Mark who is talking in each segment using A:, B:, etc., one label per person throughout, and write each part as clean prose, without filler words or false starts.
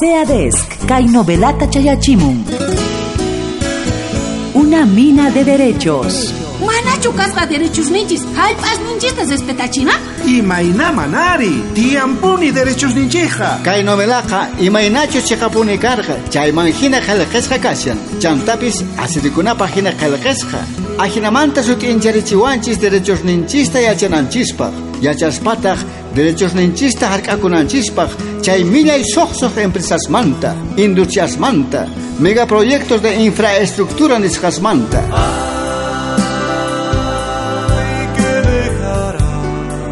A: SEADESC, kay novelata chayachimun. Una mina de derechos.
B: Manachu kasqa derechos ninchis, hallp'as ninchista respetachina?
C: Imayna manari, tiyampuni derechos ninchija.
D: Kay novelaqa imaynachus chiqapuni karqa, chayman hina qillqasqa kashan. Chantapis asirikunapaq hina qillqasqa. Ajinamanta sut'incharichiwanchis derechos ninchista yachananchispaq. Yachaspataq derechos ninchista hark'akunanchispaq, chay millay suqsuq empresasmanta, industriasmanta, megaproyectos de infraestructura nisqasmanta.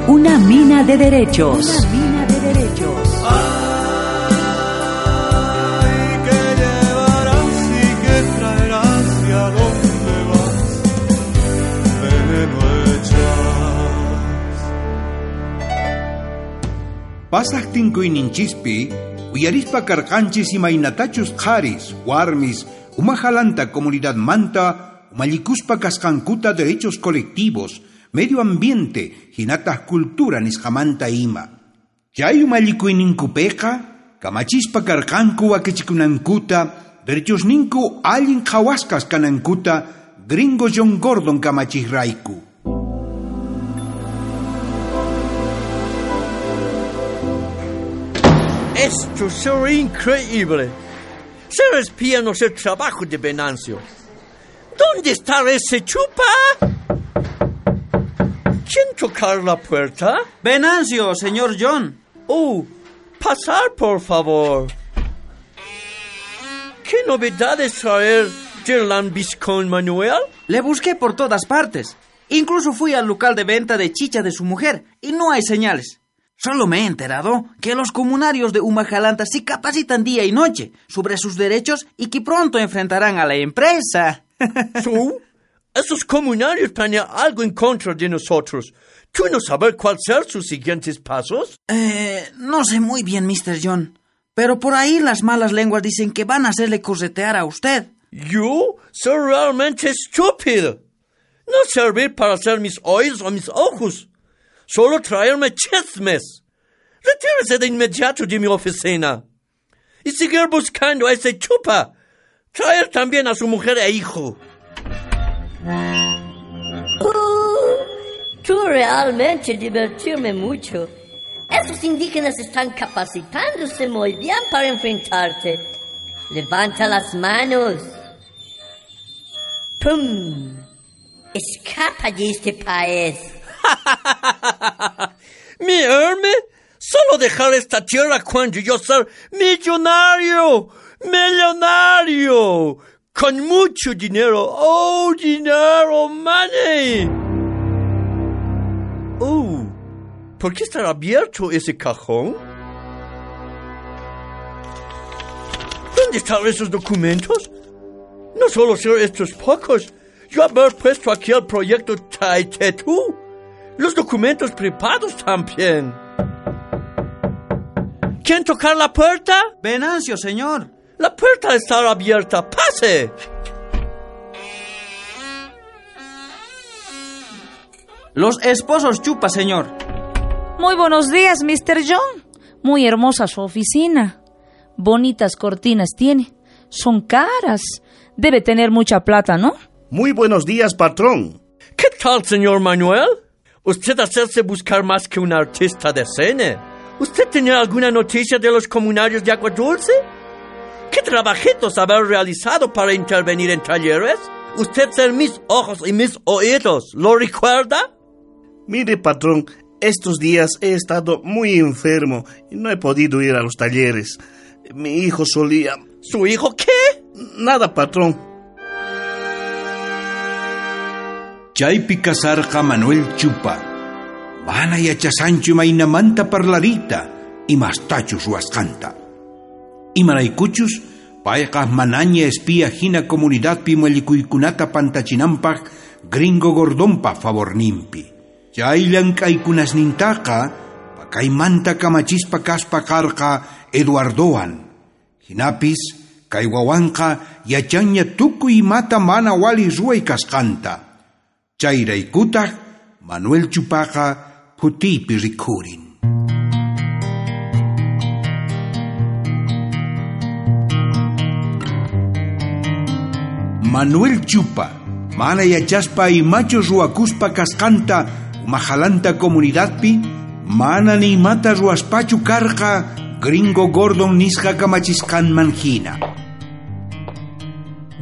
A: Una mina de derechos. Una mina de derechos.
E: Ay, que llevarás y que traerás y a dónde vas, veneno echas.
C: Pasaqtin kuyninchispi, uyarispa karqanchis imaynatachus qharis, warmis, umajalanta comunidadmanta, umallikuspa kasqankuta derechos colectivos, medio ambiente, hinataq cultura nisqamanta ima. Chay umallikuyninkupiqa, kamachispa karqanku wakichikunankuta, derechosninku allin qhawasqas kanankuta, gringo John Gordon kamachiqrayku.
F: Esto es increíble. Ser espía no es el trabajo de Venancio. ¿Dónde está ese chupa? ¿Quién tocar la puerta?
G: Venancio, señor John.
F: Oh, pasar, por favor. ¿Qué novedades traer del lambiscón Manuel?
G: Le busqué por todas partes. Incluso fui al local de venta de chicha de su mujer y no hay señales. Solo me he enterado que los comunarios de Umajalanta se capacitan día y noche sobre sus derechos y que pronto enfrentarán a la empresa.
F: ¿Tú? Esos comunarios planean algo en contra de nosotros. ¿Tú no sabes cuáles serán sus siguientes pasos?
G: No sé muy bien, Mr. John, pero por ahí las malas lenguas dicen que van a hacerle corretear a usted.
F: Yo soy realmente estúpido. No servir para hacer mis oídos o mis ojos. Solo traerme chismes. Retírese de inmediato de mi oficina. Y seguir buscando a ese chupa. Traer también a su mujer e hijo.
H: Tú realmente divertirme mucho. Esos indígenas están capacitándose muy bien para enfrentarte. Levanta las manos. ¡Pum! Escapa de este país.
F: Mi herme, solo dejar esta tierra cuando yo ser millonario, millonario, con mucho dinero. Oh, dinero, money. Oh, ¿por qué está abierto ese cajón? ¿Dónde están esos documentos? No solo ser estos pocos. Yo haber puesto aquí el proyecto Taitetu. Los documentos privados también. ¿Quién tocar la puerta?
G: Venancio, señor.
F: La puerta está abierta. ¡Pase!
G: Los esposos Chupa, señor.
I: Muy buenos días, Mr. John. Muy hermosa su oficina. Bonitas cortinas tiene. Son caras. Debe tener mucha plata, ¿no?
J: Muy buenos días, patrón.
F: ¿Qué tal, señor Manuel? Usted hacerse buscar más que un artista de cine. ¿Usted tenía alguna noticia de los comunarios de Agua Dulce? ¿Qué trabajitos haber realizado para intervenir en talleres? Usted ser mis ojos y mis oídos, ¿lo recuerda?
J: Mire, patrón, estos días he estado muy enfermo y no he podido ir a los talleres. Mi hijo solía...
F: ¿Su hijo qué?
J: Nada, patrón.
C: Chaypi kasarqa Manuel Chupa. Mana yachasanchu imaynamanta parlariyta imastachus ruwasqanta. Imaraykuchus payqa manaña espía hina comunidadpi mallikuykunata pantachinanpaq gringo Gordonpa favorninpi. Chay llank'aykunasnintaqa pakaymanta kamachispa kaspa karqa Eduardowan. Hinapis kay wawanqa yachanña tukuy imata mana wali ruway kasqanta. Chayraykutaq Manuel Chupaqa phutiypi rikhurin. Manuel Chupa, mana yachaspa imachus ruwakuspa kasqanta Umajalanta comunidadpi, mana ni imata ruwaspachu karqa Gringo Gordon nisqa kamachisqanman hina.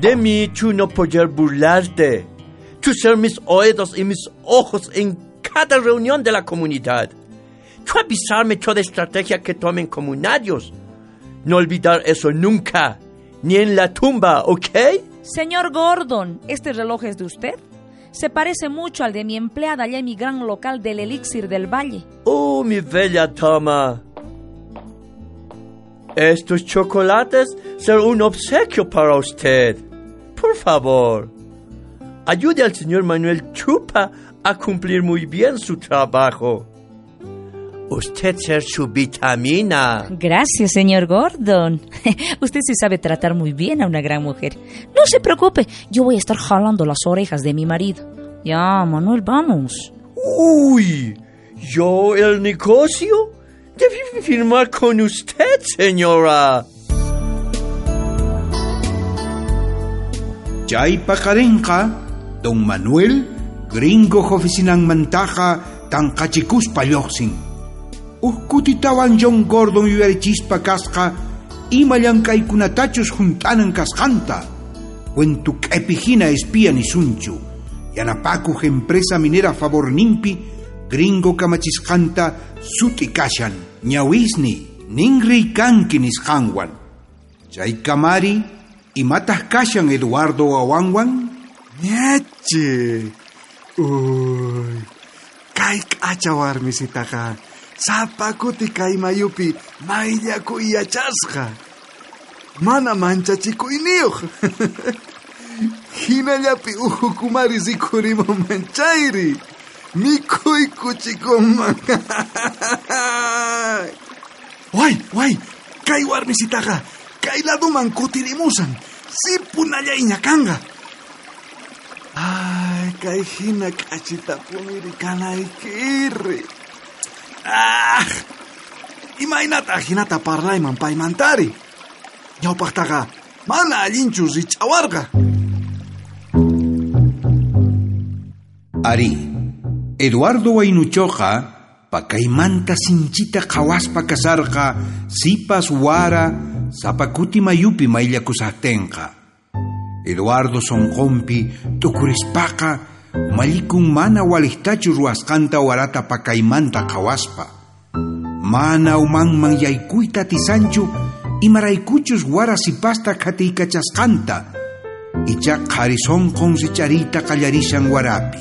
F: De mí tú no poder burlarte. Tú ser mis oídos y mis ojos en cada reunión de la comunidad. Tú avisarme toda estrategia que tomen comunarios. No olvidar eso nunca, ni en la tumba, ¿ok?
I: Señor Gordon, ¿este reloj es de usted? Se parece mucho al de mi empleada allá en mi gran local del Elixir del Valle.
F: Oh, mi bella dama. Estos chocolates serán un obsequio para usted. Por favor, ayude al señor Manuel Chupa a cumplir muy bien su trabajo. Usted ser su vitamina.
I: Gracias, señor Gordon. Usted sí sabe tratar muy bien a una gran mujer. No se preocupe, yo voy a estar jalando las orejas de mi marido. Ya, Manuel, vamos.
F: Uy, yo el negocio debí firmar con usted, señora.
C: Chay paqarinqa, don Manuel, gringo oficinanmantaqa tanqachikuspa lluqsin. Uj kutitawan John Gordon yuyarichispa kasqa ima llank'aykunatachus hunt'anan kasqanta. Cuentu q'epi hina espía nisunchu. Yanapakuq empresa minera favorninpi gringo kamachisqanta sut'i kashan. Ñawisni ninriy kanki nisqanwan. Chay kamari imataq kashan Eduardo wawanwan?
K: Ñachi. Uy. Kay k'acha warmisitaqa sapa kuti kay mayupi mayllakuy yachasqa. Mana manchachikuyniyuq. Hinallapi uhukumari rikhurimunman chayri. Mikhuykuchikunman. Way, way, kay warmisitaqa kay laduman kutirimusan. Sipunallayña kanqa. Ay, kay hina k'achitapuniri kanaykiri. Ah! Imaynata hinata parlayman paymantari. Ñawpaqtaqa mana allinchu rich'awarqa.
C: Ari, Eduardo Waynuchoqa pakaymanta sinchita qhawaspa kasarqa sipas wara sapa kuti mayupi mayllakusaqtinqa. Eduardo sonqonpi tukurispaqa umallikun mana waliqtachu ruwasqanta warata pakaymanta qhawaspa. Mana umanman yaykuyta atisanchu imaraykuchus wara sipasta qhatiykachasqanta. Icha qhari sonqon richariyta qallarishan warapi.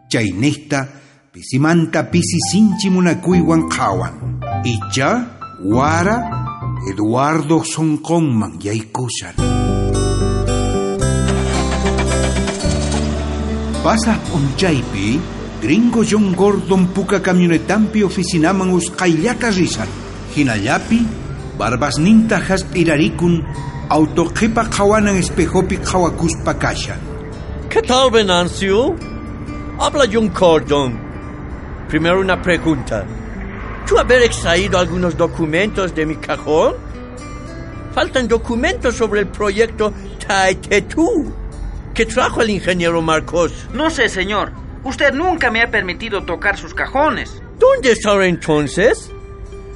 C: Chayniqta pisimanta pisi sinchi munakuywan qhawan. Icha wara Eduardo sonqonman yaykushan. Pasaq p'unchaypi gringo John Gordon puka camionetampi oficinaman usqhayllata rishan. Hinallapi barbasninta hasp'irarikun auto qhipa qhawanan espejopi qhawakuspa kashan.
F: ¿Qué tal, Venancio? Habla John Gordon. Primero una pregunta. ¿Tú haber extraído algunos documentos de mi cajón? Faltan documentos sobre el proyecto Taitetú que trajo el ingeniero Marcos.
G: No sé, señor. Usted nunca me ha permitido tocar sus cajones.
F: ¿Dónde están entonces?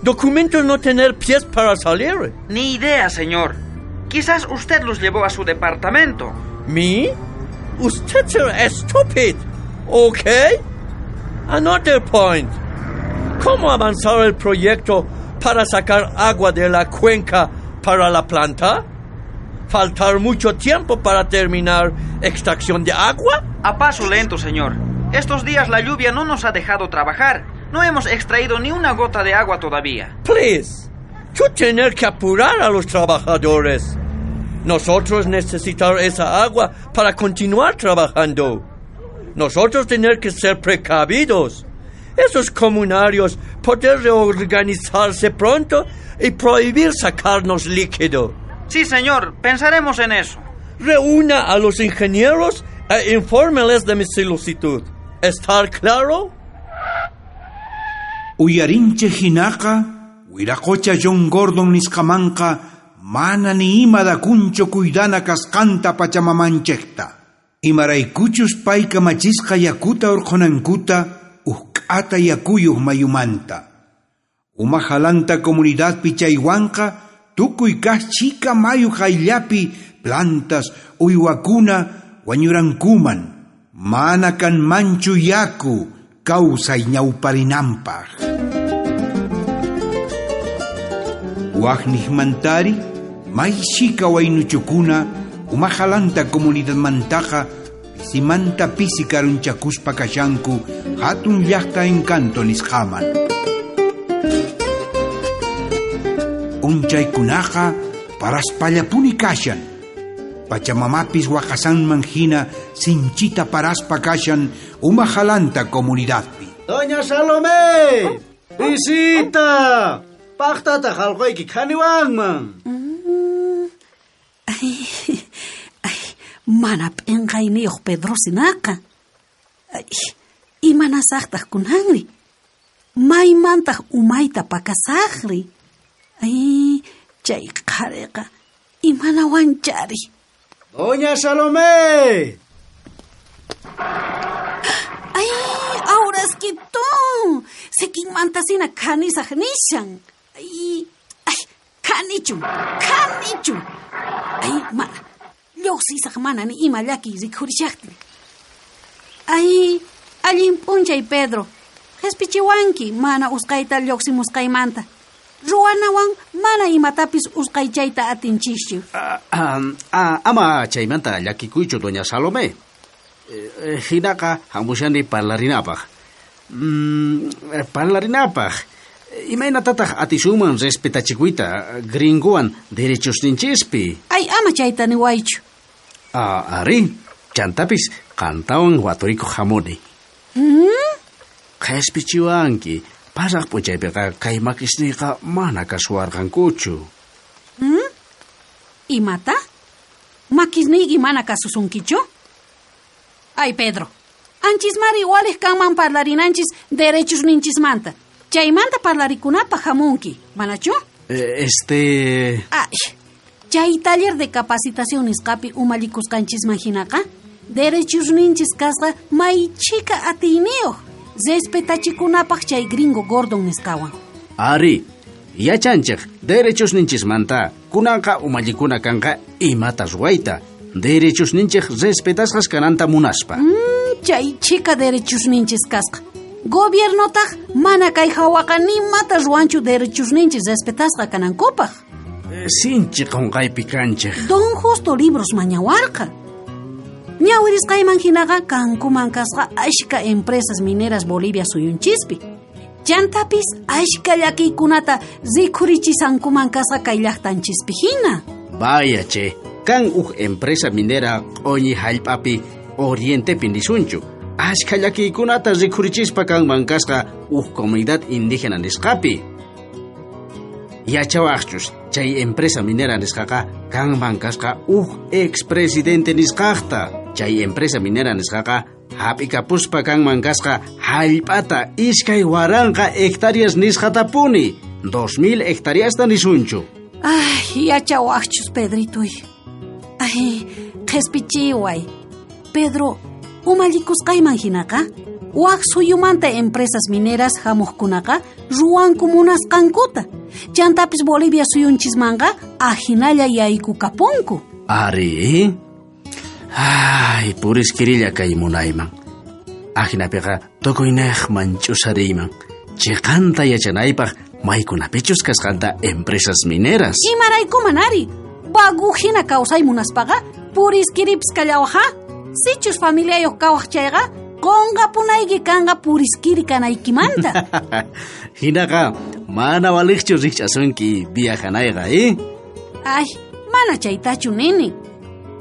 F: Documentos no tener pies para salir.
G: Ni idea, señor. Quizás usted los llevó a su departamento.
F: ¿Me? Usted será estúpido. ¿Ok? Another point. ¿Cómo avanzar el proyecto para sacar agua de la cuenca para la planta? ¿Faltar mucho tiempo para terminar extracción de agua?
G: A paso lento, señor. Estos días la lluvia no nos ha dejado trabajar. No hemos extraído ni una gota de agua todavía.
F: Please, tú tener que apurar a los trabajadores. Nosotros necesitar esa agua para continuar trabajando. Nosotros tener que ser precavidos. Esos comunarios poder reorganizarse pronto y prohibir sacarnos líquido.
G: Sí, señor, pensaremos en eso.
F: Reúna a los ingenieros e infórmeles de mi solicitud. ¿Está claro?
C: Uyarinche hinaqa, wiraqocha John Gordon nisqamanqa mana ni ima dakunchu kuydana kasqanta pachamamanchikta. Imaraykuchus pay kamachisqa yakuta urqhunankuta uqk'ata yakuyuq mayumanta. Umajalanta comunidadpi chaywanqa tukuy kaq chika mayu qayllapi plantas uywakuna wañurankuman mana kanmanchu yaku kawsay ñawparinanpaq. Waqniqmantari may chika waynuchukuna umajalanta comunidadmantaqa pisimanta pisi karunchakuspa kashanku hatun llaqta encanto nisqaman. Unchaykunaqa paraspallapuni kashan. Pachamamapis waqasanman hina sinchita paraspa kashan umajalanta comunidadpi.
L: Doña Salomé! ¡Visita! Paqtata halqayki khaniwanman.
B: Ay, ay, mana p'inqayniyuq Pedro sinaqa. Ay, imanasaqtaq kunanri? Maymantaq umayta pakasaqri? Ay, chay qhariqa imanawanchari.
L: Doña Salomé!
B: Ay, awraskitun! Sikinmantasina khanisaq nishan. Ay, ay, khanichun, khanichun. Ay, mana, lluqsisaq mana ni ima llakiy rikhurishaqtin. Ay, allin p'unchay Pedro. Qhispichiwanki mana usqayta lluqsimusqaymanta. Ruwanawan mana imatapis usqaychayta atinchischu.
L: Ama chaymanta llakikuychu, doña Salomé. Hinaqa hamushani parlarinapaq. Parlarinapaq. Imaynatataq atisunman respetachikuyta gringowan derechosninchispi?
B: Ay, ama chayta niwaychu.
L: Ari, chantapis qantawan waturikuq hamuni. Qhispichiwanki. Pasaq p'unchaypiqa kay makisniyqa mana kasuwarqankuchu.
B: Imata? Makisniyki mana kasusunkichu? Ay, Pedro, anchismari waliq kanman parlarinanchis derechosninchismanta. Chaymanta parlarikunapaq hamunki, manachu? Ay, chay taller de capacitación nisqapi umallikusqanchisman hinaqa, derechosninchis kasqa may chika atiyniyuq. Respetachikunapaq chay gringo Gordon nisqawan.
L: Ari, yachanchik derechosninchismanta kunanqa umallikuna kanqa imata ruwayta. Derechosninchik respetasqas kananta munaspa.
B: Chay chika derechosninchis kasqa. Gobiernotaq mana kay hawaqa nimata ruwanchu derechosninchis respetasqa kanankupaq.
L: Sinchi qunqaypi kanchik.
B: Don Justo libros mañawarqa. Ñawirisqayman hinaqa kankuman kasqa ashka empresas mineras Bolivia suyunchispi. Chantapis ashka llakiykunata rikhurichisankuman kasqa kay llaqtanchispi hina.
L: Vaya che, kan uj empresa minera q'uñi hallp'api orientepi nisunchu. Ashka llakiykunata rikhurichispa kanman kasqa uj comunidad indígena nisqapi. Yachawaqchus chay empresa minera nisqaqa kanman kasqa uj expresidente nisqaqta. Chay empresa minera nisqaqa hap'ikapuspa kanman kasqa hallp'ata 2000 hectáreas nisqatapuni, 2000 hectáreasta nisunchu.
B: Ay, yachawaqchus Pedrituy. Ay, qhispichiway. Pedro, umallikusqayman hinaqa, waq suyumanta empresas mineras hamuqkunaqa ruwanku munasqankuta. Chantapis Bolivia suyunchismanqa ahinalla yaykukapunku.
L: Ari, ay, puriskirilla kay munayman. Ahinapiqa tukuynaqman ch'usariyman. Chiqanta yachanaypaq maykunapichus kasqanta empresas mineras.
B: Imaraykuman ari, vagu hina kawsay munaspaqa puriskiripis kallawaq. Sichus familiayuq kawaq chayqa qunqapunayki kanqa puriskiri kanaykimanta.
L: Hinaqa mana waliqchu rikch'asunki viajanayqa, eh?
B: Ay, mana chaytachu nini.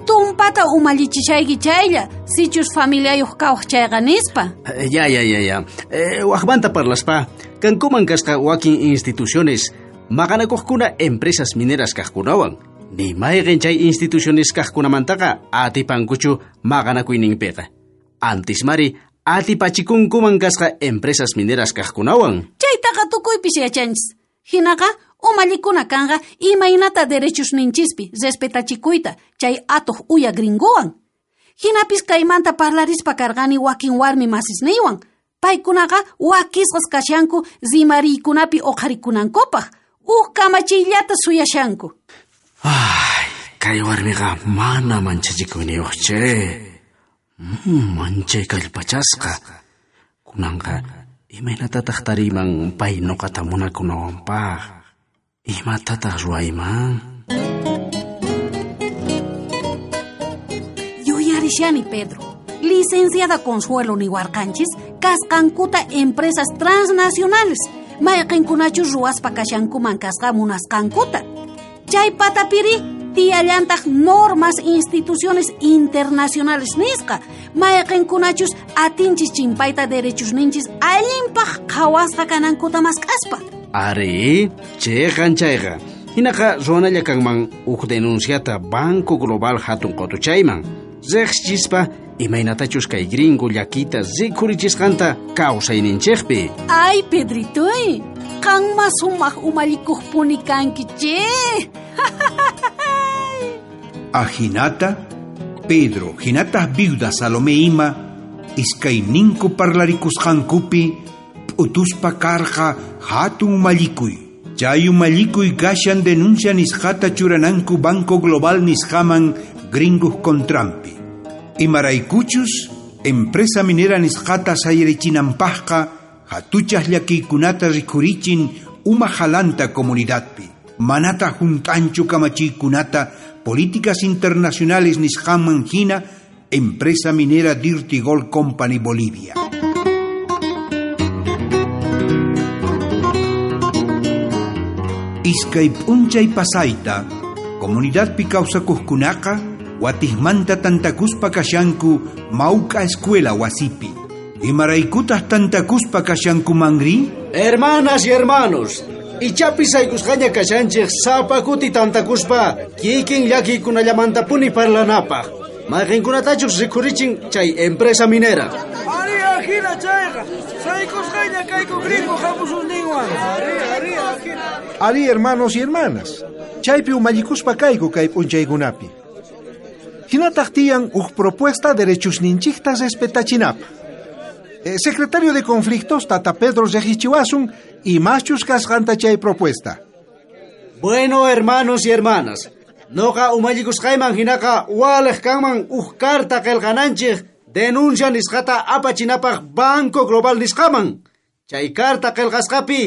B: Tumpata umallichishayki chaylla, sichus familiayuq kawaq chayqa nispa.
L: Ya. Waqmanta parlaspa, kankuman kasqa wakin instituciones maqanakuqkuna empresas mineras kaqkunawan. Ni mayqin chay instituciones kaqkunamantaqa atipankuchu maqanakuyninpiqa. Antismari atipachikunkuman kasqa empresas mineras kaqkunawan.
B: Chaytaqa tukuypis yachanchis. Hinaqa Umallikuna kanqa imaynata derechosninchispi respetachikuyta chay atuq uya gringowan. Hinapis kaymanta parlarispa karqani wakin warmi masisniywan. Paykunaqa wakisqas kashanku rimariykunapi uqharikunankupaq. Uj kamachiyllata suyashanku.
L: Ay, kay warmiqa mana manchachikuyniyuq che. Manchay kallpachasqa. Kunanqa imaynatataq tariyman pay nuqata munakunawanpaq. Imatataq ruwayman?
B: Yuyarishani, Pedro. Licenciada Consuelo niwarqanchis kasqankuta empresas transnacionales mayqinkunachus ruwaspa kashankuman kasqa munasqankuta. Chay patapiri tiyallantaq normas instituciones internacionales nisqa mayqinkunachus atinchis chimpayta derechosninchis allinpaq qhawasqa kanankuta mask'aspa.
L: Ari, cheqan chayqa. Hinaqa ruwanalla kanman uj denunciata Banco Global hatun qotuchayman. Riqsichispa imaynatachus kay gringo llakita rikhurichisqanta kawsayninchikpi.
B: Ay, Pedritoy, qanma sumaq umallikuqpuni kanki che.
C: Ajinata, Pedro, hinataq viuda Salomé ima, iskayninku parlarikusqankupi p'utuspa karqa hatun umallikuy. Chay umallikuy kashan denuncia nisqata churananku Banco Global nisqaman gringuj kontrampi. Imaraykuchus, empresa minera nisqata sayarichinanpaqqa hatuchaq llakiykunata rikhurichin umajalanta comunidadpi. Manata junt'anchu kamachiykunata políticas internacionales nisqaman hina empresa minera Dirty Gold Company Bolivia. Iskay p'unchay pasayta, comunidadpi kawsakuqkunaqa watijmanta tantakuspa kashanku mawk'a escuela wasipi. Imaraykutaq tantakuspa kashankumanri?
L: Hermanas y hermanos, ichapis saykusqaña kashanchik sapa kuti tantakuspa kikin llakiykunallamantapuni parlanapaq. Mayqinkunatachus rikhurichin chay empresa minera.
M: Ari ajina chayqa, saykusqaña kayku gringo hamususninwan. Ari, ari ajina.
N: Ari hermanos y hermanas, chaypi umallikuspa kayku kay p'unchaykunapi. Hinataq tiyan uj propuesta derechosninchikta respetachinapaq. Secretario de Conflictos Tata Pedro riqsichiwasun imachus kasqanta chay propuesta.
L: Bueno, hermanos y hermanas, noqa umallikusqayman hinaqa waliq kanman uj carta qillqananchik denuncia nisqata apachinapaq Banco Global nisqaman. Chay carta qillqasqapi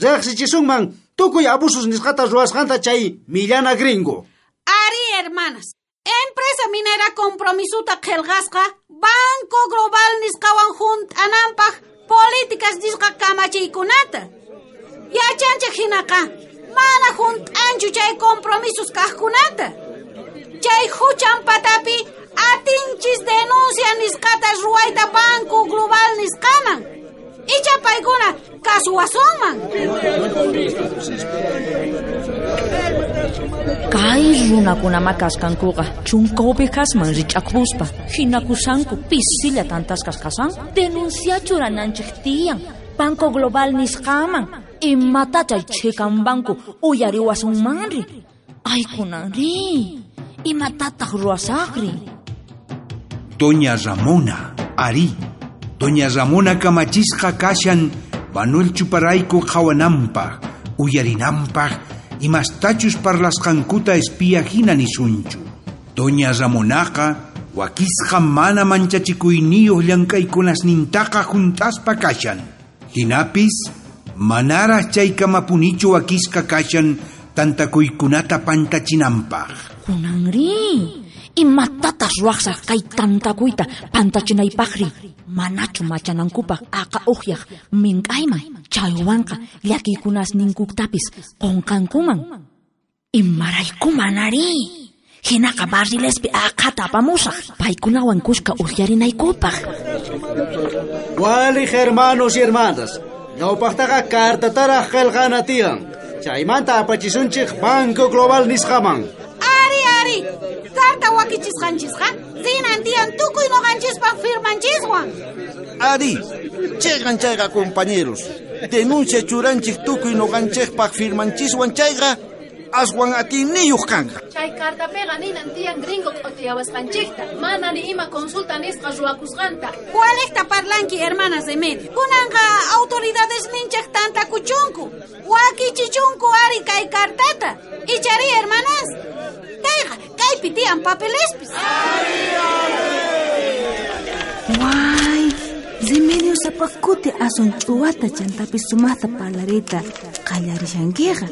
L: riqsichisunman tukuy abusos nisqata ruwasqanta chay millana gringo.
B: Ari, hermanas, empresa minera compromisuta qillqasqa Banco Global nisqawan junt'ananpaq políticas nisqa kamachiykunata. Yachanchik hinaqa mana junt'anchu chay compromisos kaqkunata. Chay huchan patapi atinchis denuncia nisqata ruwayta Banco Global nisqaman. Icha paykuna kasuwasunman.
I: Kay runakunama kasqankuqa chunka ovejasman rich'akuspa hinakusanku pisilla tantasqas kasanku. Denuncia churananchik tiyan Banco Global nisqaman. Imata chay chikan banco uyariwasunmanri. Ay kunanri, imatataq ruwasaqri?
C: Doña Ramona, ari. Doña Ramona kamachisqa kashan Manuel Chuparayku qhawananpaq, uyarinanpaq, imastachus parlasqankuta espía hina nisunchu. Doña Ramonaqa wakisqa mana manchachikuyniyuq llank'aykunasnintaqa junt'aspa kashan. Hinapis manaraq chaykamapunichu wakisqa kashan tantakuykunata pantachinanpaq.
I: Kunanri, imatataq ruwaqsaq kay tantakuyta pantachinaypaqri? Manachu machanankupaq aqa uqyaq mink'ayman chaywanqa llakiykunasninkutapis qunqankuman. Imaraykuman ari? Hinaqa barrilespi aqhata apamusaq paykunawan kuska uqyarinaykupaq.
L: Waliq hermanos y hermanas, ñawpaqtaqa cartataraq qillqana tiyan. Chaymanta apachisunchik Banco Global nisqaman.
B: Ari, ari, carta wakichisqanchisqa rinan tiyan tukuy nuqanchispaq firmanchiswan.
O: Ari, cheqan chayqa compañeros. Denuncia churanchik tukuy noqanchikpaq firmanchiswan chayqa aswan atiyniyuq kanqa.
P: Chay cartapiqa ninan tiyan gringo q'utiyawasqanchikta, mana ni ima consulta nisqa ruwakusqanta.
B: Walejta parlanki, hermanas Remedio. Kunanqa autoridades ninchej tantakuchunku. Wakichichunku ari kay cartata. Ichari, hermanas. Kayqa, kaypi tiyan papelespis.
Q: Way, Remedios sapa kuti aswan ch'uwata chantapis sumaqta parlariyta qallarishankiqa.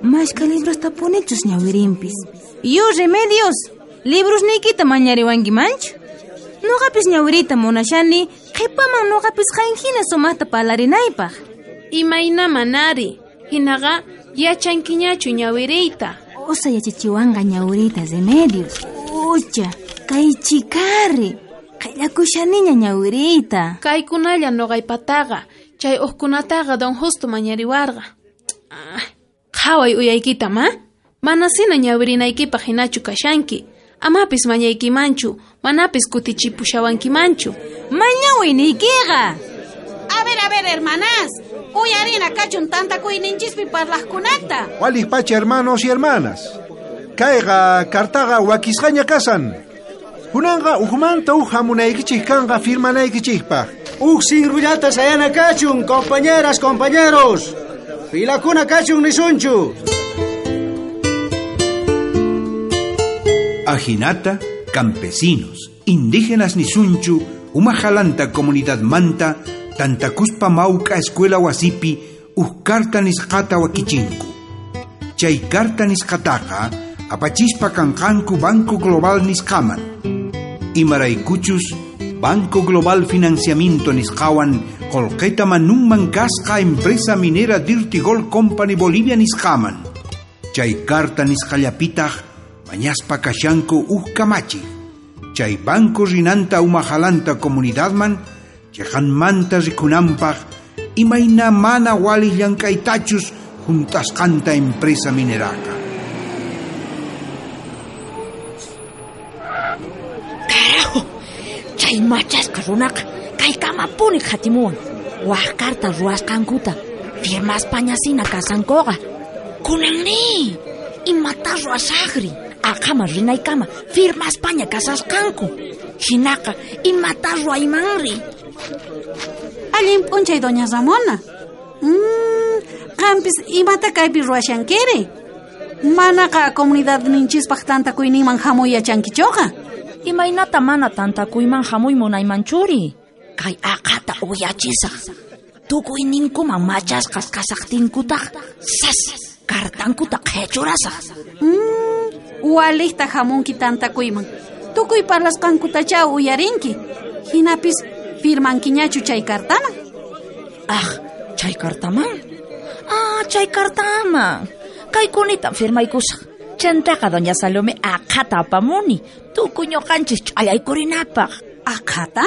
Q: Mashka librostapunichus ñawirinpis. Yu, Remedios, librosniykita mañariwankimanchu? Noqapis ñawiriyta munashani, qhipaman noqapis qan hina sumaqta parlarinaypaq.
P: Imayna manari, hinaqa yachankiñachu ñawiriyta.
Q: Usa yachachiwanqa ñawiriyta, Remedios. Ucha, kay chikari, qhillakushaniña ñawiriyta.
P: Kaykunalla noqaypataqa, chay uqkunataqa don Justo mañariwarqa. Qhaway uyaykita, ma? Manasina ñawirinaykipaq hinachu kashanki. Amapis mañaykimanchu, manapis kutichipushawankimanchu.
Q: Mañaway niykiqa.
B: A ver, hermanas. Uyarina kachun tantakuyninchispi parlaqkunata.
N: Waliq pacha, hermanos y hermanas. Kayqa kartaqa wakisqaña kasan. Kunanqa ujmanta uj hamunaykichik kanqa firmanaykichikpaq.
L: Uj sinrullata sayana kachun, compañeras, compañeros. Filakuna kachun nisunchu.
C: Ajinata, campesinos, indígenas nisunchu, umajalanta comunidad manta, tantakuspa mauka escuela wasipi, uj karta nisqata wakichinku. Chay karta nisqataqa, apachispa kanqanku Banco Global nisqaman. Imaraykuchus, Banco Global Financiamiento nisqawan, qolqeta manunman kasqa empresa minera Dirty Gold Company Bolivia nisqaman. Chay karta nisqallapitaq, mañaspa kashanku uj kamachi. Chay banco rinanta umajalanta comunidadman, chejanmanta rikunanpaq, imayna mana wali llank'aytachus juntasqanta empresa mineraqa.
R: Carajo, chay machasqa runaqa kaykamapuni qhatimuwan. Waj karta ruwasqankuta firmaspañasina kasankuqa. Kunanri, imata ruwasaqri? Aqhama rinaykama firmaspaña kasasqanku. Hinaqa imata ruwaymanri?
B: Allin p'unchay, doña Ramona. Qampis imata kaypi ruwashankiri? Manaqa comunidadninchispaq tantakuyninman hamuy yachankichuqa.
I: Imaynata mana tantakuyman hamuy munaymanchuri? Kay aqhata uyachisaq. Tukuyninkuman machasqas kasaqtinkutaq sas kartankuta qhichurasaq.
B: Walijta hamunki tantakuyman. Tukuy parlasqankutachá uyarinki. Hinapis firmankiñachu chay kartaman.
I: Ah, chay kartaman? Ah, chay kartaman. Kaykunita firmaykusaq. Chantaqa doña Salome aqhata apamuni. Tukuy ñuqanchis ch'allaykurinapaq.
B: Aqhata?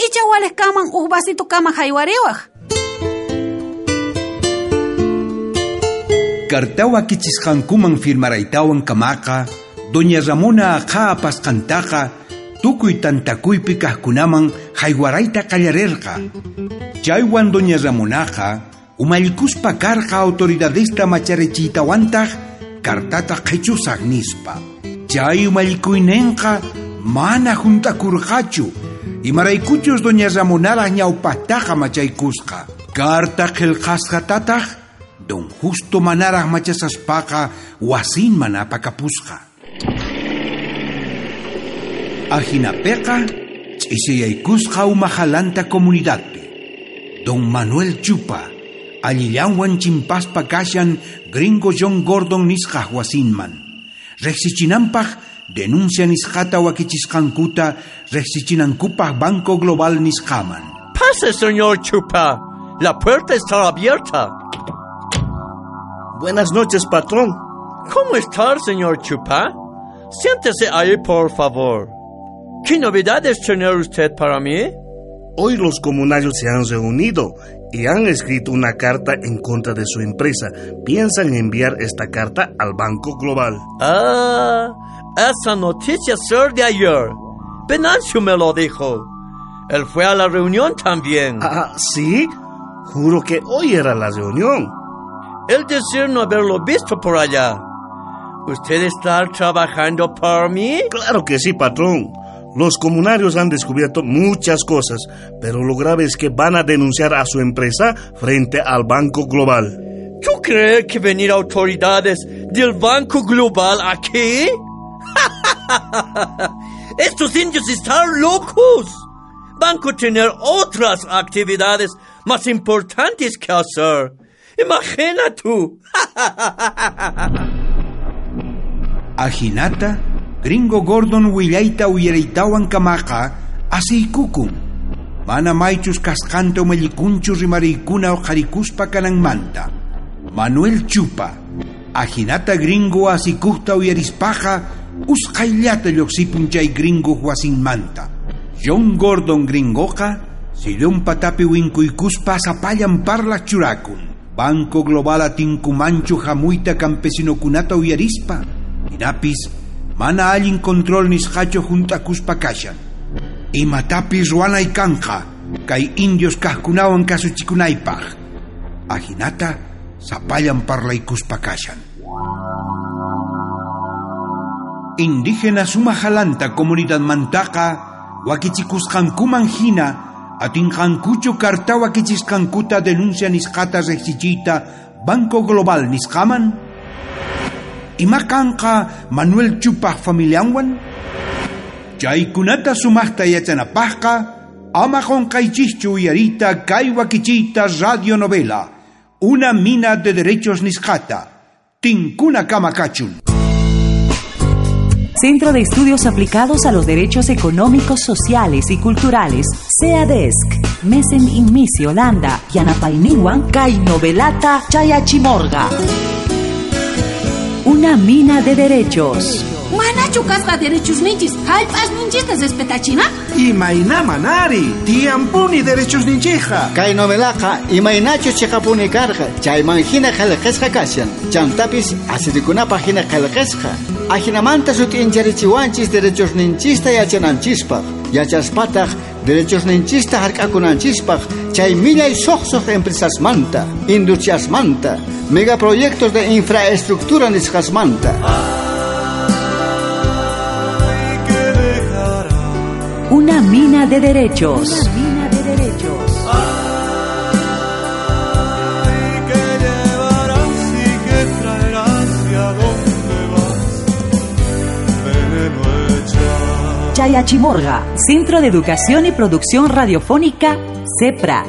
B: Icha waliq kanman uj vasito kama haywariwaq.
C: Kartawa kichisqankuman firmaraytawan kamaqa, doña Ramona aqha apasqantaqa, tukuy tantakuypi kaqkunaman haywarayta qallarirqa. Chaywan doña Ramonaqa, umallikuspa karqa autoridadesta macharechiytawantaq, kartata qhichusaq nispa. Chay umallikuyninqa mana juntakurqachu, imaraykuchus doña Ramonaraq ñawpaqtaqa machaykusqa. Karta qillqasqatataq, don Justo manaraq machasaspaqa wasinman apakapusqa. Ajinapiqa ch'isiyaykusqa umajalanta comunidadpi. Don Manuel Chupa allillanwan chimpaspa kashan gringo John Gordon nisqa wasinman. Riqsichinanpaq denuncia nisqata wakichisqankuta riqsichinankupaq Banco Global nisqaman.
F: Pase, señor Chupa. La puerta está abierta.
J: Buenas noches, patrón.
F: ¿Cómo está, señor Chupa? Siéntese ahí, por favor. ¿Qué novedades tiene usted para mí?
J: Hoy los comunarios se han reunido y han escrito una carta en contra de su empresa. Piensan enviar esta carta al Banco Global.
F: Ah, esa noticia es de ayer. Venancio me lo dijo. Él fue a la reunión también.
J: Ah, ¿sí? Juro que hoy era la reunión.
F: El decir no haberlo visto por allá. ¿Usted está trabajando por mí?
J: Claro que sí, patrón. Los comunarios han descubierto muchas cosas, pero lo grave es que van a denunciar a su empresa frente al Banco Global.
F: ¿Tú crees que venir autoridades del Banco Global aquí? Estos indios están locos. Banco tener otras actividades más importantes que hacer. Imagina tú.
C: Ajinata, gringo Gordon willayta uyaraytawan kamaqa asiykukun. Mana maychus kasqanta umallikunchu rimariykuna uqharikuspa kananmanta. Manuel Chupa, ajinata gringo asikuqta uyarispaqa usqhayllata lluqsipun chay gringo wasinmanta. John Gordon gringoqa sillun patapi winkuykuspa sapallan parlaq churakun. Banco Global atinkumanchu hamuyta campesinokunata uyarispa. Hinapis mana allin control nisqachu junt'akuspa kashan. Imatapis ruwanay kanqa kay indios kaqkunawan kasuchikunaypaq. Ajinata sapallan parlaykuspa kashan. Indígena sumajalanta comunidad mantaqa wakichikusqankuman hina atinqankuchu karta wakichisqankuta denuncia nisqata riqsichiyta Banco Global nisqaman. Ima kanqa Manuel Chupaj familianwan? Chaykunata sumaqta yachanapaqqa ama qunqaychischu uyariyta kay wakichiyta radionovela Una mina de derechos nisqata. Tinkuna kama kachun.
A: Centro de Estudios Aplicados a los Derechos Económicos, Sociales y Culturales, CEADESC, Mesen Inmisi, Holanda, Yanapayniwan, Kay Novelata, Chayachimorga. Una mina de derechos.
B: Manachu kasqa derechos ninchis, hallp'as ninchista respetachina?
N: Imayna manari, tiyanpuni derechos ninchija.
D: Kay novelaqa imaynachus chiqapuni karqa, chayman hina qillqasqa kashan. Chantapis asirikunapaq hina qillqasqa. Ajinamanta sut'incharichiwanchis derechos ninchista yachananchispaq. Yachaspataq derechos ninchista hark'akunanchispaq chay millay suqsuq empresasmanta, industriasmanta, megaproyectos de infraestructura nisqasmanta.
A: Una mina de derechos. Una mina de derechos.
E: Ay, que llevarás y que traerás y a dónde vas, veneno echas.
A: Chayachimorga, Centro de Educación y Producción Radiofónica, CEPRA.